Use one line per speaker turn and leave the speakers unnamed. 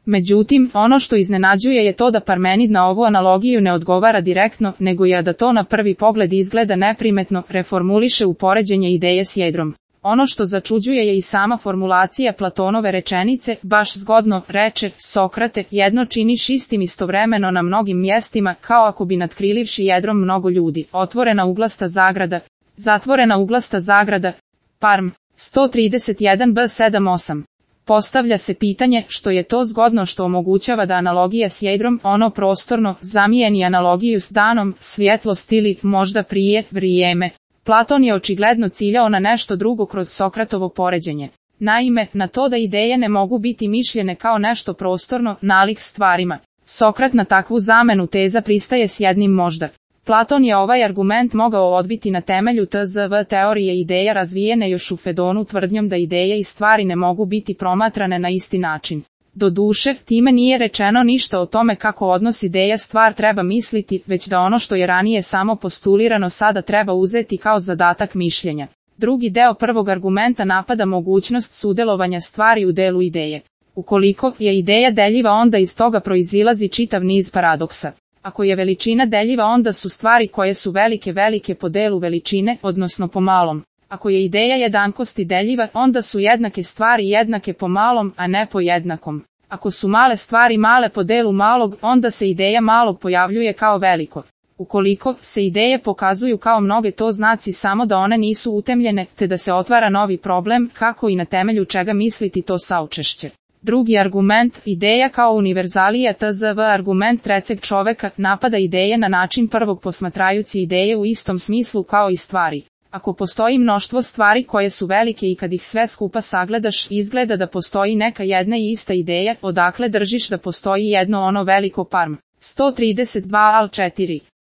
Međutim, ono što iznenađuje je to da Parmenid na ovu analogiju ne odgovara direktno, nego je da to na prvi pogled izgleda neprimetno, reformuliše u poređenje ideje s jedrom. Ono što začuđuje je i sama formulacija Platonove rečenice, baš zgodno, reče Sokrate, jedno činiš istim istovremeno na mnogim mjestima, kao ako bi natkrilivši jedrom mnogo ljudi. Otvorena uglasta zagrada, zatvorena uglasta zagrada, Parm, 131b78. Postavlja se pitanje što je to zgodno što omogućava da analogija s jedrom, ono prostorno, zamijeni analogiju s danom, svjetlost ili, možda prije, vrijeme. Platon je očigledno ciljao na nešto drugo kroz Sokratovo poređenje. Naime, na to da ideje ne mogu biti mišljene kao nešto prostorno, nalik stvarima. Sokrat na takvu zamenu teza pristaje s jednim možda. Platon je ovaj argument mogao odbiti na temelju tzv teorije ideja razvijene još u Fedonu tvrdnjom da ideje i stvari ne mogu biti promatrane na isti način. Doduše, time nije rečeno ništa o tome kako odnos ideja stvar treba misliti, već da ono što je ranije samo postulirano sada treba uzeti kao zadatak mišljenja. Drugi deo prvog argumenta napada mogućnost sudjelovanja stvari u delu ideje. Ukoliko je ideja deljiva, onda iz toga proizilazi čitav niz paradoksa. Ako je veličina deljiva, onda su stvari koje su velike po delu veličine, odnosno po malom. Ako je ideja jednakosti deljiva, onda su jednake stvari jednake po malom, a ne po jednakom. Ako su male stvari male po delu malog, onda se ideja malog pojavljuje kao veliko. Ukoliko se ideje pokazuju kao mnoge, to znači samo da one nisu utemljene, te da se otvara novi problem, kako i na temelju čega misliti to saučešće. Drugi argument, ideja kao univerzalija tzv argument trećeg čoveka, napada ideje na način prvog posmatrajući ideje u istom smislu kao i stvari. Ako postoji mnoštvo stvari koje su velike i kad ih sve skupa sagledaš, izgleda da postoji neka jedna i ista ideja, odakle držiš da postoji jedno ono veliko Parm. 132 al 4.